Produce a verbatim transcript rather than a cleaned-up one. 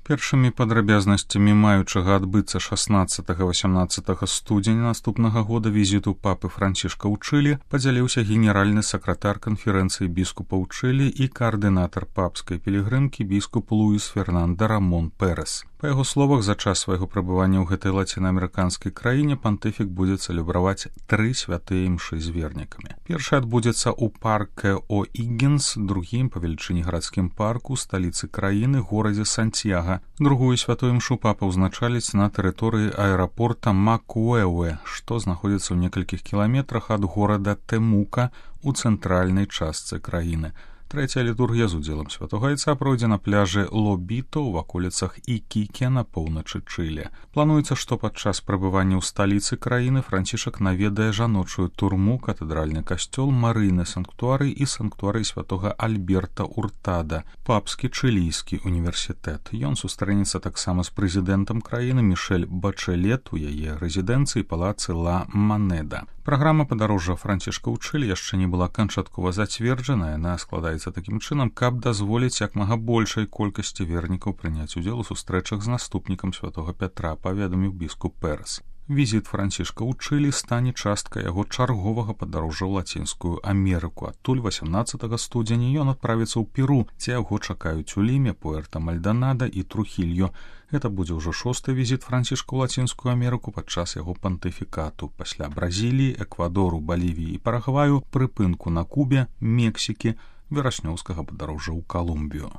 Першымі падрабязнасцямі маючага адбыцца шаснаццатага-васямнаццатага студзеня наступнага года візіту папы Францішка ў Чылі падзяліўся генеральны сакратар канферэнцыі біскупаў Чылі і каардынатар папскай пілігрымкі біскуп Луіс Фернанда Рамон Перес. Па яго словах, за час свайго прабывання ў гэтай лацінаамерыканскай краіне пантыфік будзе цэлебраваць тры святыя імшы з вернікамі. Першы адбудзецца ў парке О'Іггінс, другім па велічыні гарадскім парку сталіцы краіны горадзе Сантьяга. Другую святую імшу папа ўзначаліць на тэрыторыі аэрапорта Макуэуэ, што знаходзіцца ў некалькіх кіламетрах ад горада Тэмука ў цэнтральнай частцы краіны. Трэцяя літургія з удзелам святога айца пройдзе на пляжы Лобіто ў ваколіцах Ікіке на поўначы Чылі. Плануецца, што падчас прабывання ў сталіцы краіны Францішак наведае жаночую турму, катэдральны касцёл, марыйны санктуарый і санктуарый святога Альберта Уртада, папскі чылійскі універсітэт. Ён сустрэнецца таксама з прэзідэнтам краіны Мішэль Бачэлет у яе рэзідэнцыі палацы Ла Манеда. Праграма падарожжа Францішка ў Чылі яшчэ не была канчаткова зацверджана, яна складаецца такім чынам, каб дазволіць як мага большай колькасці вернікаў прыняць удзел у сустрэчах з наступнікам святога Пятра, паведаміў біскуп Перес. Візіт Францішка ў Чылі стане часткай яго чарговага падарожжа ў Лацінскую Амерыку. Адтуль васямнаццатага студзеня ён адправіцца ў Перу, дзе яго чакаюць у Ліме, Пуэрта-Мальданада і Трухільо. Гэта будзе ўжо шосты візіт Францішка ў Лацінскую Амерыку падчас яго пантыфікату. Пасля Бразіліі, Эквадору, Балівіі і Парагваю, прыпынку на Кубе, Мексікі, вераснёўскага падарожжа ў Калумбію.